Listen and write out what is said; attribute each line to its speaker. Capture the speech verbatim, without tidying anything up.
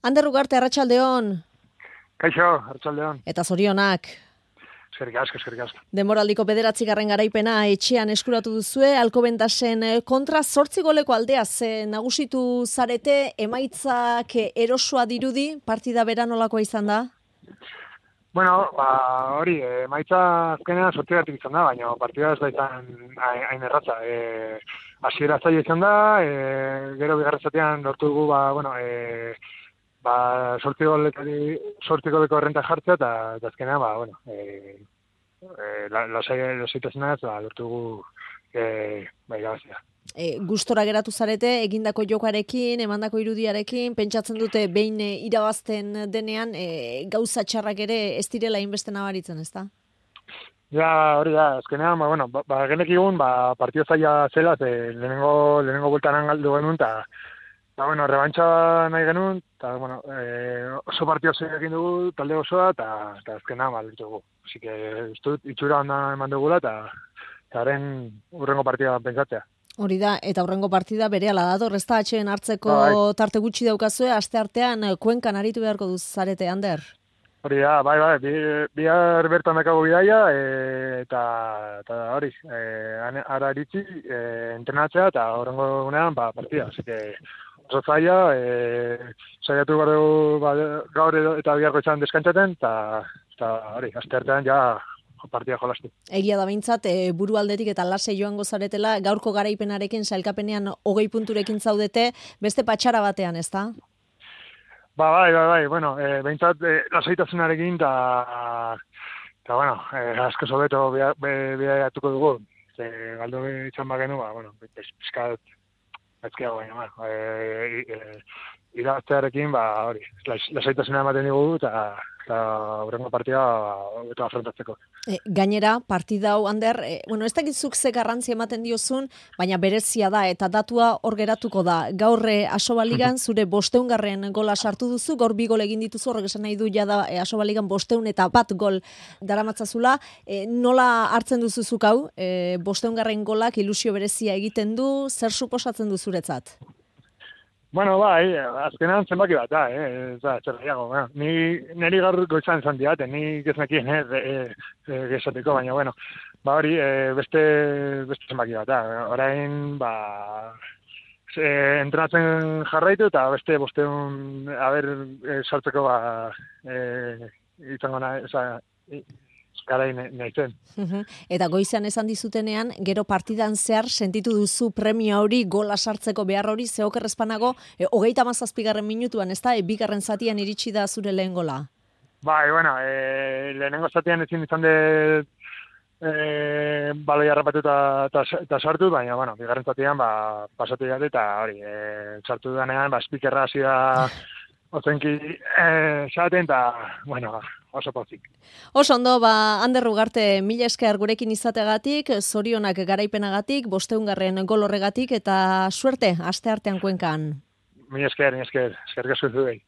Speaker 1: Ander Ugarte, arratsaldeon.
Speaker 2: Kaixo, arratsaldeon.
Speaker 1: Eta zorionak.
Speaker 2: Eskerrik asko, eskerrik asko.
Speaker 1: Demoraldiko bederatzigarren garaipena etxean eskuratu duzue, Alcobendasen kontra zortzi goleko aldea ze nagusitu zarete, emaitzak erosoa dirudi, partida bera nolakoa izan da?
Speaker 2: Bueno, ba, hori, emaitza azkenean sortzigatik izan da, baina partida ez da izan hain erratza. E, hasiera zaila izan da, e, gero bigarren zatean lortu dugu, ba, bueno, e, ba, sortzi goletari, sortzi goleko errenta jartzea, eta, eta azkenean, ba, bueno, e, e, lasaitasunaz, ba, lortu dugu, e, ba, irabazia.
Speaker 1: E, gustora geratu zarete, egindako jokarekin, emandako irudiarekin, pentsatzen dute behin e, irabazten denean, e, gauza txarrak ere ez direla inbeste nabaritzen, ezta?
Speaker 2: Ja, hori da, azkenean, ba, bueno, ba, ba genekigun, ba, partio zaila zela, ze lehenengo, lehenengo bultaran galdu genuen, eta, ba, bueno, rebantxa nahi genuen, eta, bueno, e, oso partio zaila egin dugu, talde osoa, eta, eta azkenean, ba, lortu dugu. Así que, ez dut, itxura onda eman dugula, eta, eta haren urrengo partida pentsatzea.
Speaker 1: Hori da, eta aurrengo partida berehala dator, ez da atxeen hartzeko
Speaker 2: Bai.
Speaker 1: tarte gutxi daukazue, aste artean Kuenkan aritu beharko duz zarete, Ander.
Speaker 2: Hori da, bai, bai, bi, bihar bertan dakago bidaia, e, eta, eta hori, e, ara iritsi, e, entrenatzea, eta horrengo gunean, ba, partida. Así que, oso zaila, e, saiatu gara ba, gaur edo, eta biharko izan deskantzaten, eta, eta hori, aste artean ja partida jolastu.
Speaker 1: Egia da behintzat, e, buru aldetik eta lase joango zaretela, gaurko garaipenarekin, sailkapenean hogei punturekin zaudete, beste patxara batean, ez da?
Speaker 2: Ba, bai, bai, bai, bueno, e, behintzat, e, lasaitasunarekin, eta, eta, bueno, e, asko sobeto bidaiatuko dugu, ze galdu izan bagenu, ba, bueno, pizkat, ezkiago baina, ba, e, e, irabaztearekin, ba, hori, lasaitasuna ematen dugu, eta, eta horrengo partida, eta afrontatzeko.
Speaker 1: E, gainera, partida hau, Ander, e, bueno, ez dakizuk ze garrantzi ematen diozun, baina berezia da, eta datua hor geratuko da. Gaur e, Asobaligan zure bosteungarren gola sartu duzu, gaur bi gol egin dituzu, horrek esan nahi du jada e, Asobaligan bosteun eta bat gol daramatzazula. E, nola hartzen duzuzuk hau, e, bosteungarren golak ilusio berezia egiten du, zer suposatzen du zuretzat?
Speaker 2: Bueno, bai, azkenean zenbaki bat da, eh, ez da, zer gehiago, bueno, ni, niri gaur goizan izan diate, ni geznekien, eh, e, e, gezateko, baina, bueno, ba hori, e, beste, beste zenbaki bat da, orain, ba, e, entrenatzen jarraitu, eta beste bosteun, haber, e, sartzeko, ba, e, izango na, eza, garai nahitzen.
Speaker 1: Eta goizan esan dizutenean, gero partidan zehar sentitu duzu premia hori, gola sartzeko behar hori, zeoker espanago, e, hogeita mazazpigarren minutuan, ez da, e, bigarren zatian iritsi da zure lehen gola?
Speaker 2: Bai, bueno, e, lehenengo zatian ezin izan de e, baloi harrapatu eta sartu, baina, bueno, bigarren zatian, ba, pasatu jate, eta hori, e, sartu danean, ba, spikerra hasi da ozenki e, xaten, eta, bueno, oso pozik.
Speaker 1: Oso ondo, ba, Ander Ugarte, mila esker gurekin izategatik, zorionak garaipenagatik, bosteungarren gol horregatik, eta suerte, aste artean Kuenkan.
Speaker 2: Mila esker, mila esker, eskerrik asko zuei.